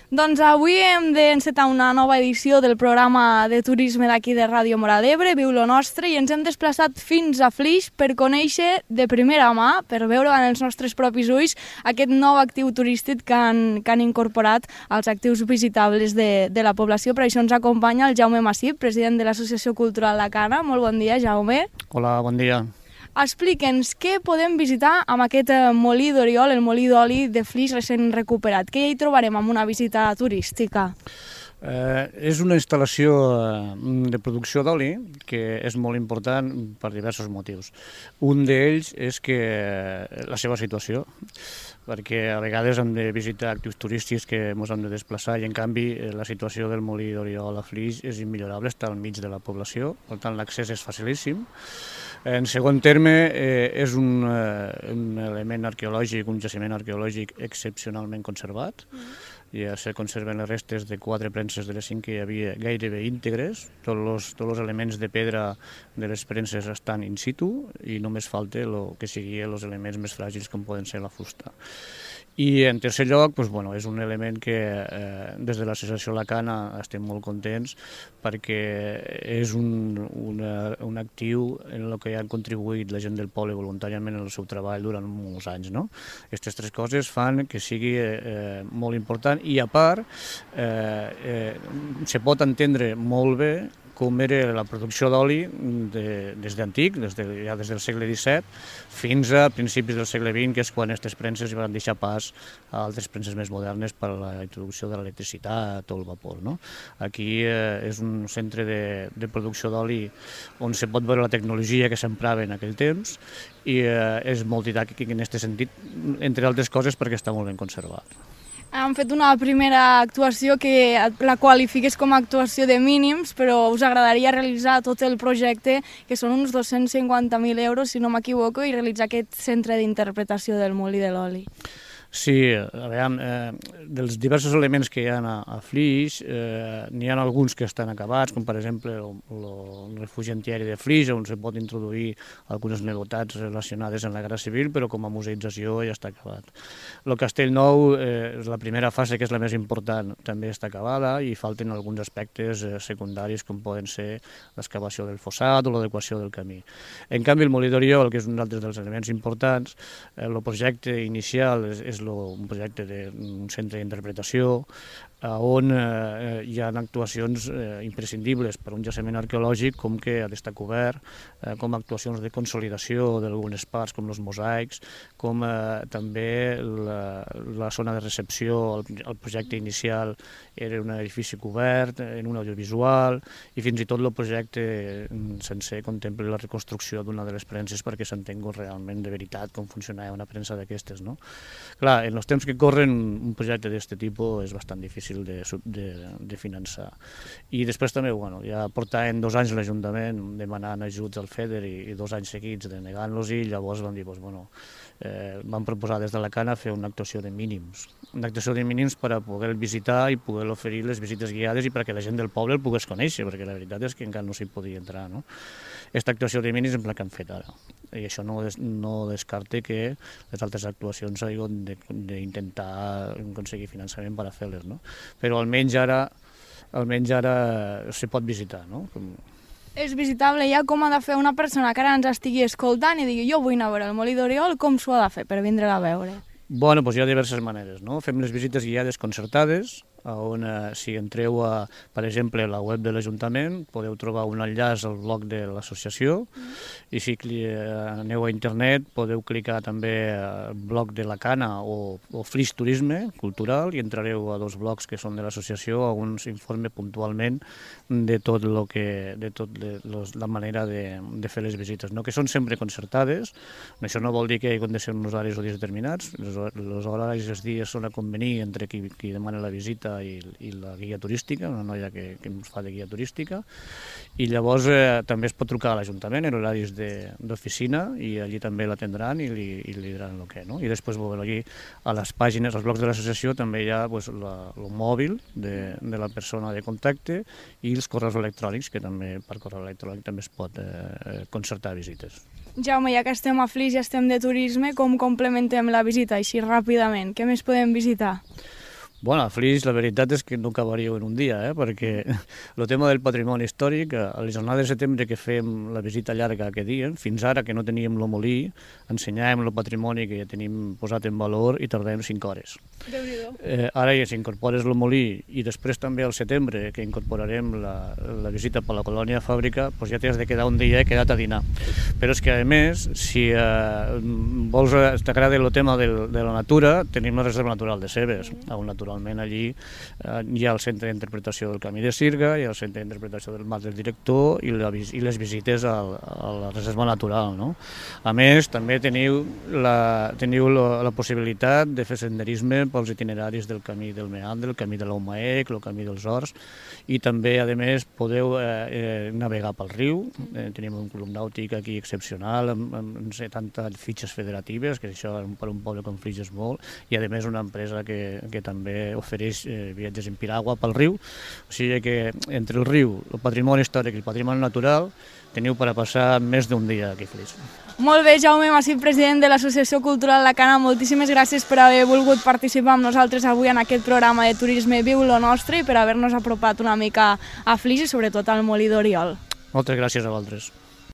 Doncs avui hem d'encetar una nova edició del programa de turisme d'aquí de Ràdio Móra d'Ebre, Viu lo Nostre, i ens hem desplaçat fins a Flix per conèixer de primera mà, per veure amb els nostres propis ulls, aquest nou actiu turístic que han incorporat als actius visitables de la població. Per això ens acompanya el Jaume Massip, president de l'Associació Cultural La Cana. Molt bon dia, Jaume. Hola, bon dia. Explica'ns què podem visitar amb aquest molí d'Oriol, el molí d'oli de Flix recent recuperat. Què hi trobarem amb una visita turística? És una instal·lació de producció d'oli que és molt important per diversos motius. Un d'ells és que la seva situació, perquè a vegades hem de visitar actius turístics que ens hem de desplaçar i en canvi la situació del molí d'Oriol a Flix és immillorable, està al mig de la població, per tant l'accés és facilíssim. En segon terme, és un element arqueològic, un jaciment arqueològic excepcionalment conservat. Ja se conserven les restes de 4 premses de les 5 que hi havia gairebé íntegres. Tots els elements de pedra de les premses estan in situ i només falta el que siguin els elements més fràgils com poden ser la fusta. I en tercer lloc, és un element que des de l'associació La Cana estem molt contents perquè és un actiu en el que han contribuït la gent del poble voluntàriament en el seu treball durant molts anys. Aquestes 3 coses fan que sigui molt important i a part se pot entendre molt bé com era la producció d'oli des d'antic, des del segle XVII, fins a principis del segle XX, que és quan aquestes premses van deixar pas a altres premses més modernes per a la introducció de l'electricitat o el vapor. Aquí és un centre de producció d'oli on se pot veure la tecnologia que s'emprava en aquell temps i és molt didàctic en aquest sentit, entre altres coses perquè està molt ben conservat. Han fet una primera actuació que la qualifiques com a actuació de mínims, però us agradaria realitzar tot el projecte, que són uns 250.000 euros, si no m'equivoco, i realitzar aquest centre d'interpretació del molí de l'oli. Sí, a veure, dels diversos elements que hi ha a Flix, n'hi ha alguns que estan acabats, com per exemple el refugi antiaeri de Flix, on se pot introduir algunes novetats relacionades amb la Guerra Civil, però com a museïtzació ja està acabat. El Castell Nou, la primera fase, que és la més important, també està acabada i falten alguns aspectes secundaris, com poden ser l'excavació del fossat o l'adequació del camí. En canvi, el molí d'Oriol, que és un altre dels elements importants, el projecte inicial és un projecte d'un centre d'interpretació on hi ha actuacions imprescindibles per a un jaciment arqueològic, com que ha d'estar cobert, com actuacions de consolidació d'algunes parts, com els mosaics, com també la zona de recepció. El projecte inicial era un edifici cobert, en un audiovisual, i fins i tot el projecte sencer contempla la reconstrucció d'una de les premses perquè s'entengui realment de veritat com funcionava una premsa d'aquestes. Clar, en els temps que corren un projecte d'aquest tipus és bastant difícil de finançar. I després també, ja portaven 2 anys l'Ajuntament demanant ajuts al FEDER i 2 anys seguits denegant-los i llavors van dir, van proposar des de la Cana fer una actuació de mínims. Una actuació de mínims per a poder visitar i poder oferir les visites guiades i perquè la gent del poble el pogués conèixer, perquè la veritat és que encara no s'hi podia entrar. Aquesta actuació de mínims és la que han fet ara. I això no descarta que les altres actuacions hagin d'intentar aconseguir finançament per a fer-les, però almenys ara se pot visitar. És visitable ja. Com ha de fer una persona que ara ens estigui escoltant i digui jo vull anar a veure el molí d'Oriol, com s'ho ha de fer per vindre-la a veure? Doncs hi ha diverses maneres. Fem les visites guiades concertades, on si entreu per exemple, a la web de l'Ajuntament, podeu trobar un enllaç al blog de l'associació, i si aneu a internet podeu clicar també al blog de la Cana o Flix Turisme Cultural i entrareu a 2 blogs que són de l'associació on s'informa puntualment de tot la manera de fer les visites, que són sempre concertades. Això no vol dir que hi hagin de ser uns horaris o dies determinats, els horaris i els dies són a convenir entre qui demana la visita i la guia turística, una noia que ens fa de guia turística, i llavors també es pot trucar a l'Ajuntament en horaris d'oficina i allí també l'atendran i li diran el que, I després allí a les pàgines, als blocs de l'associació també hi ha el mòbil de la persona de contacte i els correus electrònics, que també per correu electrònic també es pot concertar visites. Jaume, ja que estem a Flix i estem de turisme, com complementem la visita així ràpidament? Què més podem visitar? Bueno, a Flix la veritat és que no acabaríeu en un dia, perquè el tema del patrimoni històric, a les jornades de setembre que fem la visita llarga que diem, fins ara que no teníem el molí, ensenyàvem el patrimoni que ja tenim posat en valor i tardàvem 5 hores. Ara ja s'incorpores el molí i després també al setembre, que incorporarem la visita per la colònia fàbrica, doncs ja t'has de quedar un dia quedat a dinar. Però és que, a més, si t'agrada el tema de la natura, tenim la reserva natural de Cebes, on naturalment allí hi ha el centre d'interpretació del Camí de Sirga, hi ha el centre d'interpretació del Mas del Director i les visites a la reserva natural. A més, també teniu la possibilitat de fer senderisme pels itineraris del Camí del Meandre, el Camí de l'Aumaec, el Camí dels Horts, i també, a més, podeu navegar pel riu. Tenim un club nàutic aquí excepcional, amb 70 fitxes federatives, que això per un poble com Flix és molt, i, a més, una empresa que també ofereix viatges en piragua pel riu. O sigui que entre el riu, el patrimoni històric i el patrimoni natural teniu per a passar més d'un dia aquí a Flix. Molt bé, Jaume Massip, president de l'Associació Cultural La Cana, moltíssimes gràcies per haver volgut participar amb nosaltres avui en aquest programa de turisme Viu lo Nostre i per haver-nos apropat una mica a Flix i sobretot al Molí d'Oriol. Moltes gràcies a vosaltres.